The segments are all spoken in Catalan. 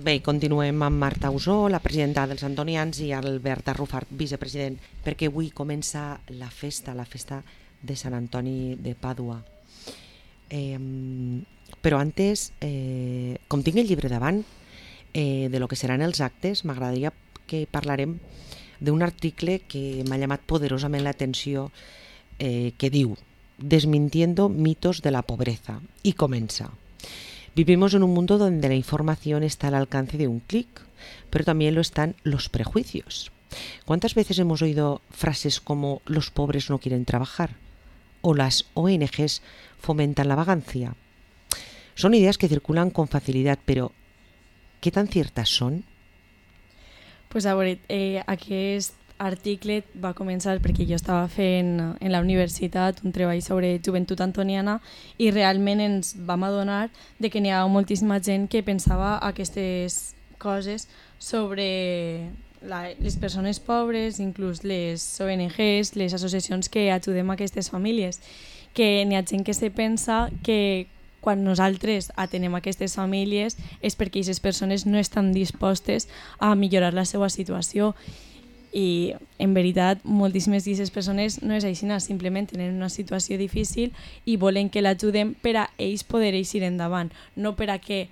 Bé, continuem amb Marta Usó, la presidenta dels Antonians, i Albert Arrufat, vicepresident, perquè avui comença la festa de Sant Antoni de Pàdua. Però antes, com tinc el llibre davant, de lo que seran els actes, m'agradaria que parlarem d'un article que m'ha llamat poderosament l'atenció, que diu Desmintiendo mitos de la pobreza, y comença. Vivimos en un mundo donde la información está al alcance de un clic, pero también lo están los prejuicios. ¿Cuántas veces hemos oído frases como los pobres no quieren trabajar? O las ONGs fomentan la vagancia. Son ideas que circulan con facilidad, pero ¿qué tan ciertas son? Pues a veure, aquest article va començar perquè jo estava fent en la universitat un treball sobre joventut antoniana i realment ens vam adonar de que n'hi ha moltíssima gent que pensava aquestes coses sobre les persones pobres, inclús les ONGs, les associacions que ajudem a aquestes famílies, que n'hi ha gent que se pensa que quan nosaltres atenem aquestes famílies és perquè aquestes persones no estan dispostes a millorar la seva situació. I en veritat moltíssimes d'aquestes persones no és així, simplement tenen una situació difícil i volen que l'ajudem per a ells poder eixir endavant, no per a que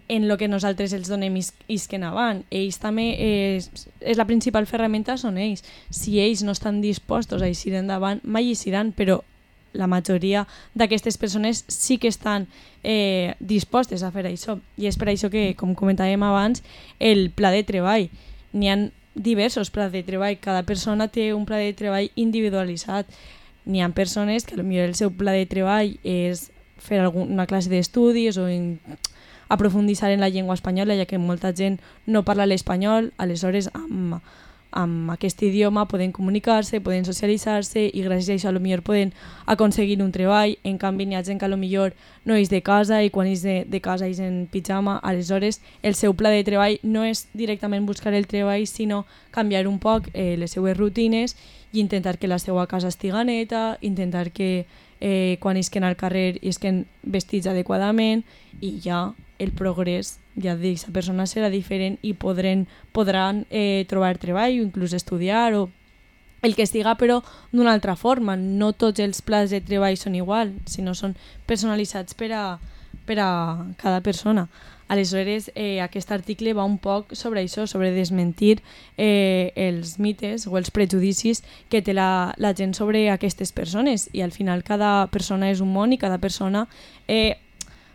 en el que nosaltres els donem isquen avant. Ells també, és la principal ferramenta són ells. Si ells no estan dispostos a eixir endavant, mai eixiran, però la majoria d'aquestes persones sí que estan dispostes a fer això. I és per això que, com comentàvem abans, el pla de treball. N'hi ha diversos plans de treball, cada persona té un pla de treball individualitzat. N'hi ha persones que potser el seu pla de treball és fer alguna classe d'estudis o aprofunditzar en la llengua espanyola, ja que molta gent no parla l'espanyol, aleshores amb aquest idioma poden comunicar-se, poden socialitzar-se i gràcies a això potser poden aconseguir un treball. En canvi n'hi ha gent que potser no és de casa i quan és de casa és en pijama, aleshores el seu pla de treball no és directament buscar el treball, sinó canviar un poc les seues rutines i intentar que la seva casa estiga neta, intentar que quan isquen al carrer isquen vestits adequadament i ja el progrés ja d'aquesta persona serà diferent i podran trobar treball o inclús estudiar o el que estiga, però d'una altra forma. No tots els plans de treball són igual, sinó són personalitzats per a cada persona. Aleshores, aquest article va un poc sobre això, sobre desmentir els mites o els prejudicis que té la gent sobre aquestes persones, i al final cada persona és un món i cada persona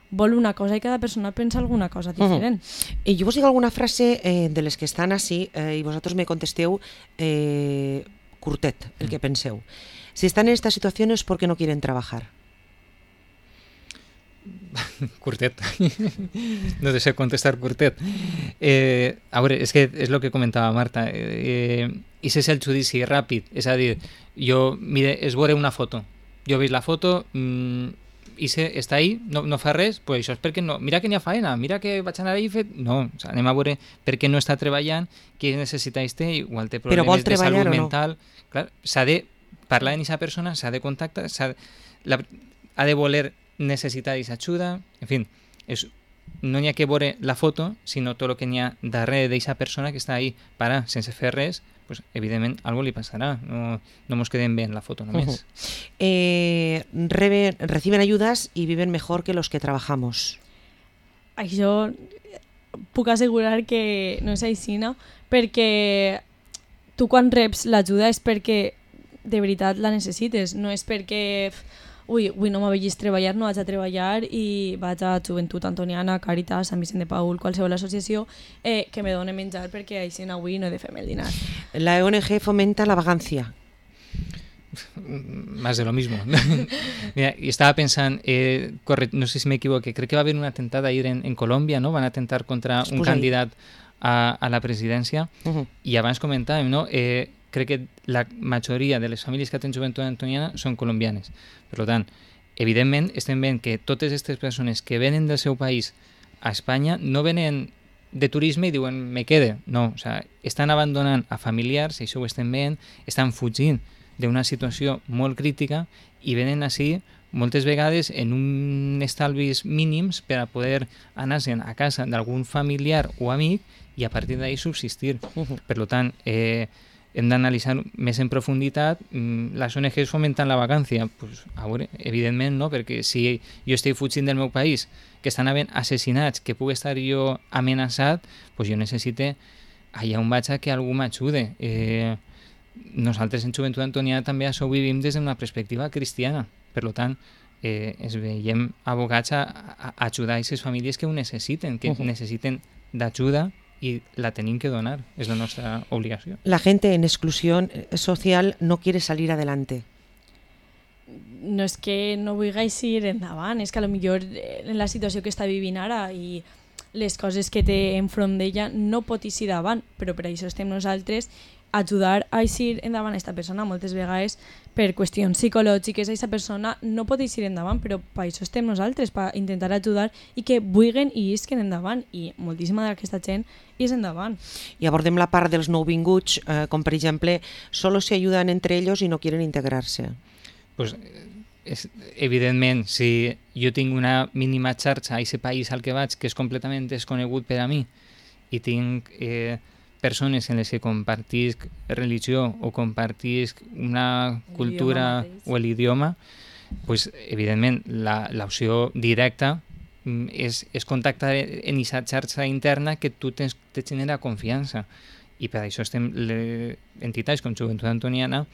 vol una cosa i cada persona pensa alguna cosa diferent. I jo vos dic alguna frase de les que estan així i vosaltres me contesteu curtet, el que penseu. Si están en esta situación es porque no quieren trabajar. Curtet. No te sé contestar curtet. A veure, és que és el que comentava Marta. I és el judici ràpid. És a dir, mire, és veure una foto. Jo veig la foto, i està ahí, no fa res, pues això és perquè no. Mira que n'hi ha faena, mira que vaig anar ahí i fet... No, o sea, anem a veure per què no està treballant, què necessitats té, igual té problemes de salut mental. Clar, s'ha de parlar amb aquesta persona, s'ha de contactar, ha de voler necessitar aquesta ajuda, en fi, no n'hi ha que veure la foto, sinó tot el que n'hi ha darrere d'aquesta persona que està ahí parar sense fer res, pues evidentment algo li passarà, no ens quedem bé en la foto només. Reciben ayudas y viven mejor que los que trabajamos. Això puc assegurar que no és així, no? Perquè tu quan reps l'ajuda és perquè de veritat la necessites, no és perquè avui no m'ha vist treballar, no vaig a treballar i vaig a Joventut Antoniana, Càritas, Sant Vicent de Paül, qualsevol associació que me doni menjar perquè així avui no he de fer-me el dinar. La ONG fomenta la vagancia. Más de lo mismo. Mira, y estaba pensando, no sé si me equivoqué, creo que va a haber un atentado ayer en Colombia, ¿no? Van a atentar contra un candidat a la presidència. I abans comentàvem, no? Crec que la majoria de les famílies que tenen joventut antoniana són colombianes. Per tant, evidentment, estem veient que totes aquestes persones que venen del seu país a Espanya no venen de turisme i diuen me quede. No, o sea, estan abandonant a familiars, i això ho estem veient, estan fugint d'una situació molt crítica i venen així moltes vegades en un estalvis mínims per a poder anar-se'n a casa d'algun familiar o amic i a partir d'ahí subsistir. Per tant, hem d'analitzar més en profunditat les ONGs fomentant la vacància. Pues, a veure, evidentment no, perquè si jo estic fugint del meu país, que estan havent assassinats, que puc estar jo amenaçat, pues jo necessite allà on vaig a que algú m'ajude. Nosaltres en Joventut Antoniana també això ho vivim des d'una perspectiva cristiana. Per tant, ens veiem abocats a ajudar a aquestes famílies que ho necessiten, que necessiten d'ajuda y la tenim que donar, es la nuestra obligación. La gente en exclusión social no quiere salir adelante. No és que no vulguis ir endavant, és que potser en la situació que està vivint ara i les coses que té enfront d'ella no pot eixir davant, però per això estem nosaltres ajudar a eixir endavant a aquesta persona. Moltes vegades per qüestions psicològiques aquesta persona no pot eixir endavant, però per això estem nosaltres, per intentar ajudar i que vulguin i isquen endavant, i moltíssima d'aquesta gent és endavant. I abordem la part dels nouvinguts, com per exemple, solo se ayudan entre ellos y no quieren integrarse. Pues, evidentment, si jo tinc una mínima xarxa a aquest país al que vaig que és completament desconegut per a mi i tinc persones en les que compartisc religió o compartisc una cultura o l'idioma, pues, evidentment l'opció directa és contactar en aquesta xarxa interna que tu te genera confiança, i per això estem entitats com Joventut Antoniana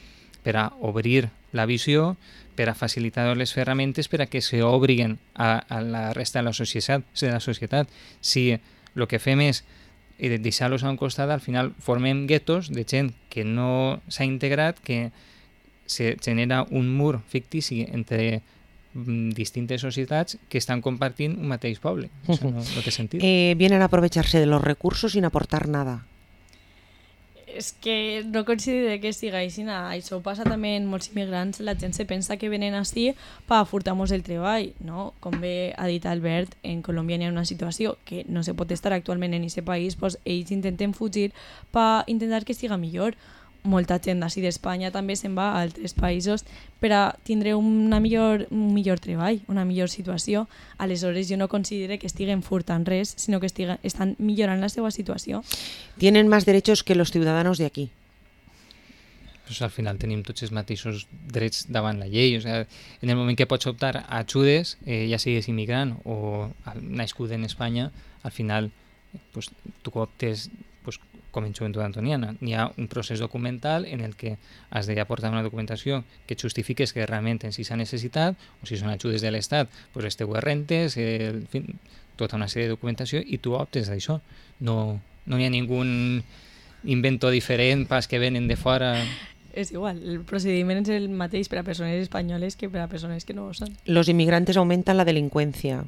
per a obrir la visió, per a facilitar les ferramentes per a que s'obriguen a la resta de la societat. Si el que fem és deixar-los a un costat, al final formem guetos de gent que no s'ha integrat, que se genera un mur fictici entre distintes societats que estan compartint un mateix poble. Això no té sentit. Vienen a aprovecharse de los recursos sin aportar nada. És que no considero que siga així. Això passa també en molts immigrants. La gent se pensa que venen així per furtar-nos el treball, no? Com bé ha dit Albert, en Colòmbia hi ha una situació que no se pot estar actualment en aquest país, doncs ells intenten fugir per intentar que siga millor. Molta gent d'ací d'Espanya també se'n va a altres països per a tindre un millor treball, una millor situació. Aleshores, jo no considero que estiguen furtant res, sinó que estan millorant la seva situació. Tienen más derechos que los ciudadanos de aquí. Pues al final tenim tots els mateixos drets davant la llei. O sea, en el moment que pots optar a ajudes, ja siguis immigrant o nascut en Espanya, al final pues, tu optes pues, com en Joventut Antoniana. Hi ha un procés documental en el que has d'aportar una documentació que justifiques que realment en si s'ha necessitat, o si són ajudes de l'Estat, pues les teues rentes, en fi, tota una sèrie de documentació, i tu optes d'això. No hi ha ningú invento diferent pas que venen de fora. És igual, el procediment és el mateix per a persones espanyoles que per a persones que no ho són. Los inmigrantes aumentan la delincuencia.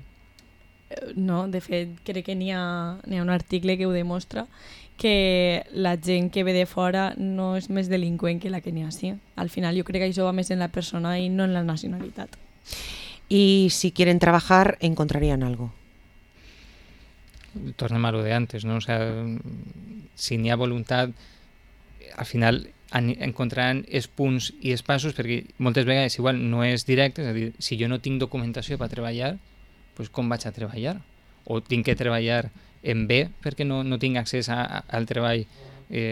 No, de fet, crec que n'hi ha un article que ho demostra, que la gent que ve de fora no és més delinqüent que la que n'hi ha així. Al final jo crec que això va més en la persona i no en la nacionalitat. Y si quieren trabajar, encontrarían algo. Tornem a lo de antes, ¿no? O sea, si n'hi ha voluntat, al final encontraran els punts i els passos, perquè moltes vegades igual no és directe, és a dir, si jo no tinc documentació per treballar, pues com vaig a treballar? O tinc que treballar en B perquè no tinc accés al treball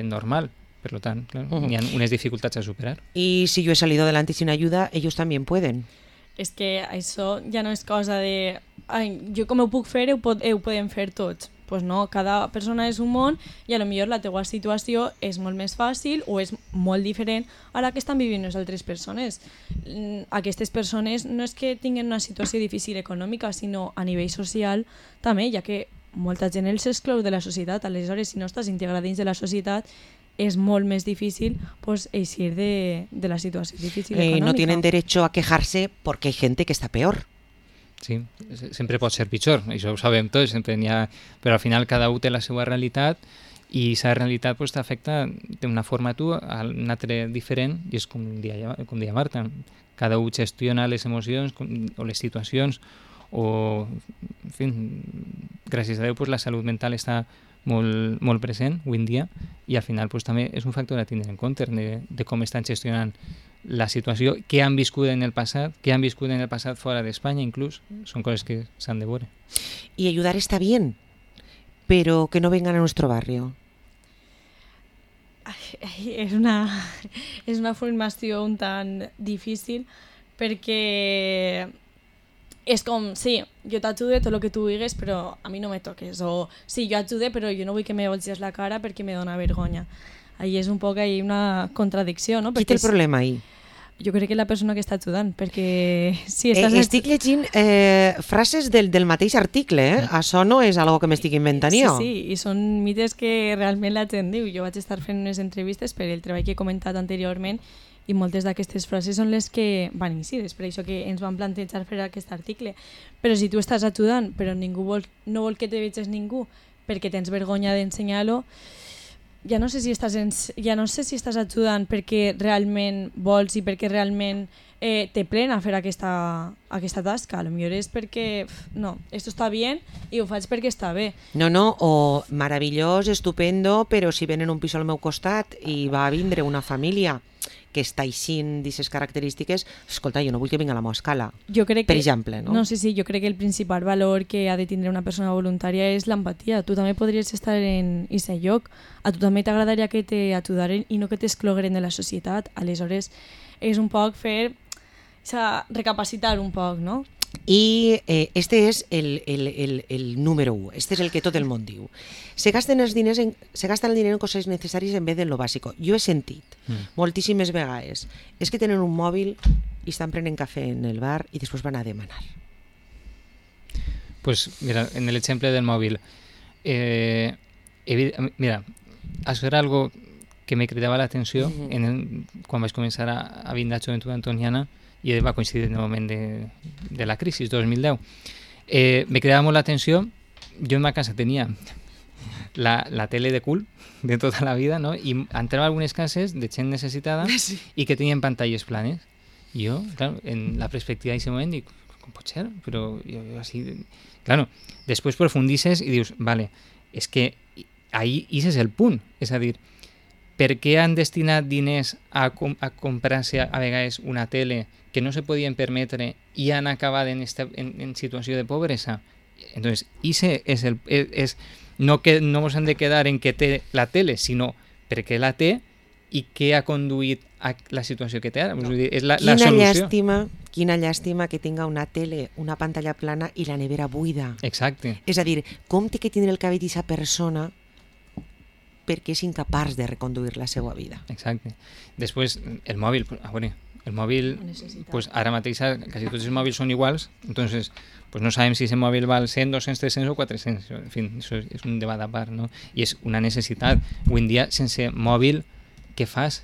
normal. Per tant, claro, hi ha unes dificultats a superar. Y si yo he salido adelante sin ayuda, ellos también pueden. És que això ja no és cosa de jo com ho puc fer, ho podem fer tots. Pues no, cada persona és un món i potser la teva situació és molt més fàcil o és molt diferent a la que estan vivint les altres persones. Aquestes persones no és que tinguin una situació difícil econòmica, sinó a nivell social també, ja que molta gent els exclou de la societat. Aleshores, si no estàs integrat dins de la societat, es molt més difícil pues, eixir de la situació difícil econòmica. No tienen derecho a quejarse porque hay gente que está peor. Sí, sempre pot ser pitjor, això ho sabem tots, sempre n'hi ha, però al final cada un té la seva realitat i aquesta realitat pues, t'afecta d'una forma a tu, a una altra diferent, i és com deia Marta, cada un gestiona les emocions o les situacions, o, en fi, gràcies a Déu, pues, la salut mental està molt present avui en dia, i al final pues, també és un factor a tindre en compte de com estan gestionant la situació, què han viscut en el passat fora d'Espanya inclús, són coses que s'han de veure. Y ayudar está bien, pero que no vengan a nuestro barrio. És una formació un tant difícil perquè és com, sí, jo t'ajude tot el que tu digues, però a mi no me toques. O sí, jo ajude, però jo no vull que me volges la cara perquè me dona vergonya. Ahí és un poc una contradicció, no? Qui té el problema ahí? Jo crec que la persona que està ajudant, perquè si estàs... Estic llegint frases del mateix article, Això no és algo que m'estic inventant jo. Sí, i són mites que realment la gent diu. Jo vaig estar fent unes entrevistes per el treball que he comentat anteriorment i moltes d'aquestes frases són les que van incidir, per això que ens van plantejar fer aquest article. Però si tu estàs ajudant, però no vol que te veges ningú perquè tens vergonya d'ensenyar-lo, ja no sé si estàs ajudant perquè realment vols i perquè realment te plena fer aquesta tasca. A lo millor és perquè, no, esto está bien i ho faig perquè està bé. No, o meravellós, estupendo, però si venen un pis al meu costat i va vindre una família que està aixint d'aquestes característiques, escolta, jo no vull que vinga a la meva escala, per exemple. No, sí, jo crec que el principal valor que ha de tindre una persona voluntària és l'empatia. Tu també podries estar en aquest lloc, a tu també t'agradaria que t'ajudaren i no que t'exclogueren de la societat. Aleshores, és un poc recapacitar un poc, no? I este és el número 1, este és el que tot el món diu. Se gasten el diner en coses necessàries en vez de lo bàsico. Jo he sentit moltíssimes vegades, és que tenen un mòbil i estan prenent cafè en el bar i després van a demanar. Pues mira, en el ejemplo del móvil, mira, això era algo que me cridava l'atenció quan vaig començar a vindre a Joventut Antoniana, i va coincidir en el moment de la crisi, 2010. Me cridava molt l'atenció, jo en ma casa tenia la tele de cul de tota la vida, no? I entrava a algunes cases de gent necessitada i que tenien pantalles planes. I jo, claro, en la perspectiva d'aquest moment dic, com pot ser? Però jo així... Claro, després profundices i dius, vale, és que ahí és el punt, és a dir, per què han destinat diners a comprar-se a vegades una tele que no se podien permetre i han acabat en situació de pobresa? Entonces, no ens han de quedar en que té la tele, sinó perquè la té i què ha conduït a la situació que té ara. No. És la solució. Quina llàstima que tinga una tele, una pantalla plana i la nevera buida. Exacte. És a dir, com té que tindre el cabell d'aquesta persona perquè és incapaç de reconduir la seva vida. Exacte. Després, el mòbil, pues, ara mateix quasi tots els mòbils són iguals, entonces pues no sabem si ese mòbil val 100, 200, 300 o 400. En fin, això és un debat a part, no? I és una necessitat. Avui en dia, sense mòbil, què fas?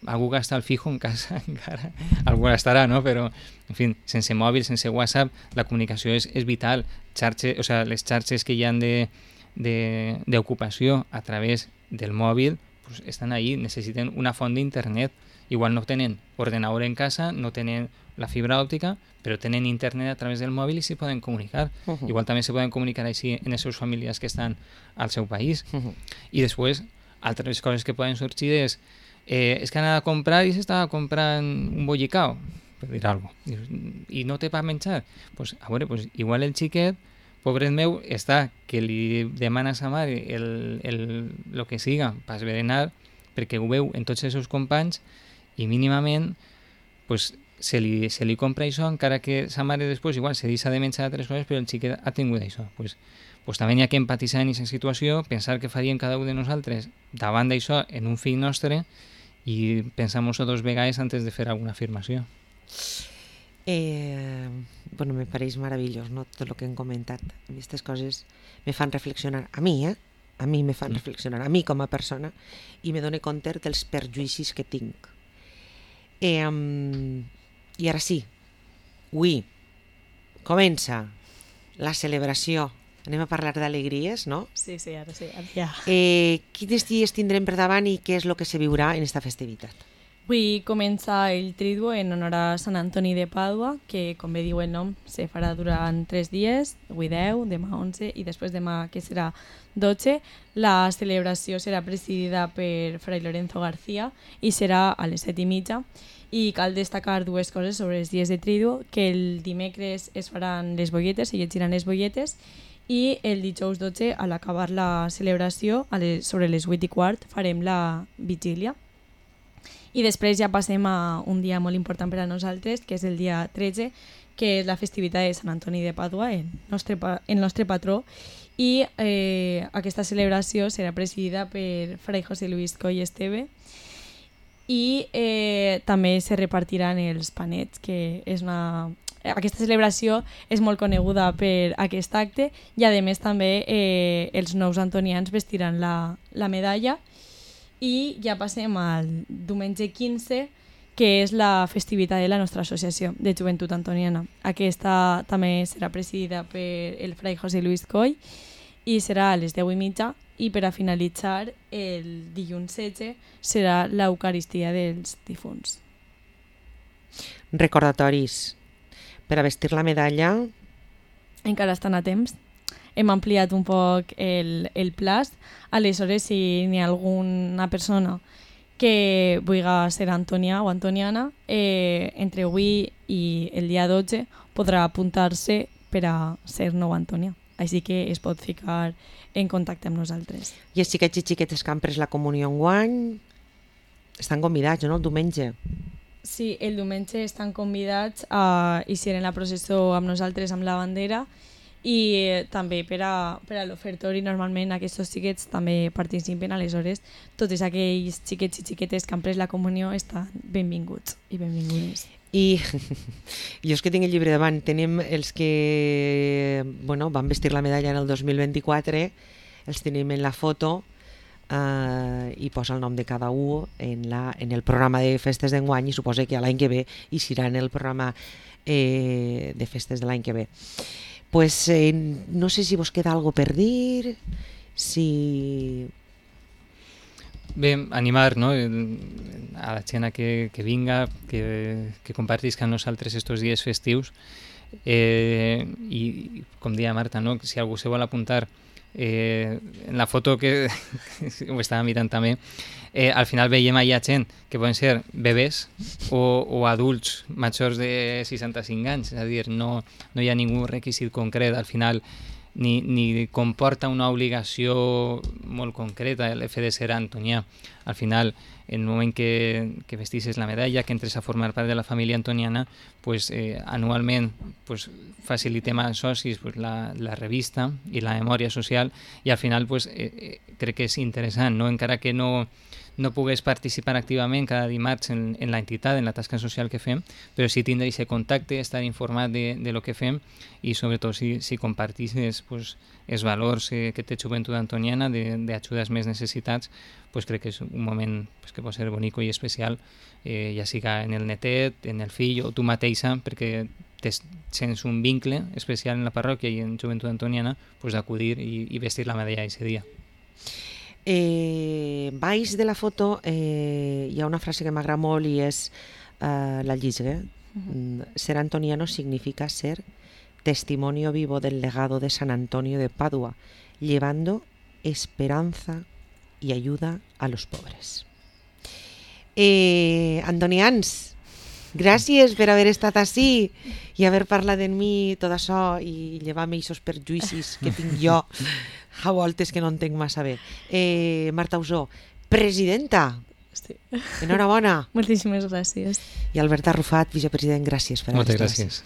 Algú gasta el fijo en casa encara? Algú gastarà, no? Però, en fi, sense mòbil, sense WhatsApp, la comunicació és vital. Les xarxes que hi ha d'ocupació a través del mòbil pues, estan ahí, necessiten una font d'internet. Igual no tenen ordenador en casa, no tenen la fibra òptica, però tenen internet a través del mòbil i s'hi poden comunicar. Igual també se poden comunicar així en les seves famílies que estan al seu país. I després, altres coses que poden sorgir és que han anat a comprar i s'estava comprant un bollicao, per dir alguna cosa, i no té per menjar. Pues, a veure, pues, igual el xiquet, pobret meu, està que li demana a sa mare el que siga per berenar, perquè ho veu en tots els seus companys i mínimament pues, se li compra això, encara que sa mare després igual se deixa de menjar altres coses, però el xiquet ha tingut això. Pues també hi ha que empatitzar en aquesta situació, pensar què faríem cada un de nosaltres davant d'això en un fill nostre i pensar-nos-ho 2 vegades antes de fer alguna afirmació. Bueno, me pareix meravellós, no? Tot el que hem comentat. Aquestes coses me fan reflexionar. A mi me fan reflexionar, a mi com a persona, i me dono compte dels perjuïcis que tinc. I ara sí, avui comença la celebració. Anem a parlar d'alegries, no? Sí, ara ja. Quins dies tindrem per davant i què és el que se viurà en aquesta festivitat? Avui comença el Triduo en honor a Sant Antoni de Pàdua, que, com bé diu el nom, se farà durant 3 dies, avui 10, demà 11 i després demà, que serà 12. La celebració serà presidida per Fray Lorenzo García i serà a les 7:30. I cal destacar dues coses sobre els dies de Triduo, que el dimecres es faran les bolletes, se llegiran les bolletes, i el dijous 12, a l'acabar la celebració, sobre les 8:15, farem la vigília. I després ja passem a un dia molt important per a nosaltres, que és el dia 13, que és la festivitat de Sant Antoni de Pàdua, el nostre patró, i aquesta celebració serà presidida per Fray José Luis Coll Esteve, i també se repartiran els panets, que és aquesta celebració és molt coneguda per aquest acte, i a més també els nous antonians vestiran la medalla. I ja passem al diumenge 15, que és la festivitat de la nostra associació de joventut antoniana. Aquesta també serà presidida per el Fray José Luis Coll i serà a les 10:30, i per a finalitzar el dilluns 16 serà l'Eucaristia dels difunts. Recordatoris. Per a vestir la medalla... Encara estan a temps. Hem ampliat un poc el plaç. Aleshores, si n'hi ha alguna persona que vulgui ser antonià o antoniana, entre avui i el dia 12 podrà apuntar-se per a ser nou antonià. Així que es pot ficar en contacte amb nosaltres. I els xiquets i xiquetes que han pres la comunió enguany estan convidats, no?, el diumenge. Sí, el diumenge estan convidats a eixir en la processó amb nosaltres amb la bandera, i també per a l'ofertori normalment aquests xiquets també participen. Aleshores tots aquells xiquets i xiquetes que han pres la comunió estan benvinguts i benvingudes. I jo és que tinc el llibre davant. Tenim els que van vestir la medalla en el 2024, els tenim en la foto, i posa el nom de cada un en el programa de festes d'enguany, i suposa que l'any que ve hi serà en el programa de festes de l'any que ve. Pues no sé si vos queda algo per dir, si... Bé, animar, no?, a la gent que vinga, que compartisca amb nosaltres estos dies festius, i com deia Marta, no?, si algú se vol apuntar, en la foto que ho estava mirant també, al final veiem allà gent que poden ser bebès o adults majors de 65 anys, és a dir, no hi ha ningú requisit concret, al final ni comporta una obligació molt concreta el fet de ser antonià. Al final, en el moment que vestisses la medalla, que entres a formar part de la família antoniana, pues, anualment pues, facilitem als socis pues, la revista i la memòria social, i al final pues, crec que és interessant, no? Encara que no pugues participar activament cada dimarts en l'entitat, en la tasca social que fem, però sí tindre aquest contacte, estar informat de lo que fem, i sobretot si compartisses pues, els valors que té Joventut Antoniana d'ajuda als més necessitats, pues crec que és un moment pues, que pot ser bonic i especial, ja siga en el netet, en el fill o tu mateixa, perquè sents un vincle especial en la parròquia i en Joventut Antoniana, pues, d'acudir i vestir la medalla aquest dia. Baix de la foto hi ha una frase que m'agrada molt i és la llisgue. Ser antoniano significa ser testimonio vivo del legado de San Antonio de Padua, llevando esperanza y ayuda a los pobres. Antonians, gràcies per haver estat ací i haver parlat de mi tot això i llevar-me aquests perjuïcis que tinc jo a voltes que no entenc massa bé. Marta Usó, presidenta, Sí. enhorabona. Moltíssimes gràcies. I Albert Arrufat, vicepresident, gràcies per haver estat. Moltes gràcies.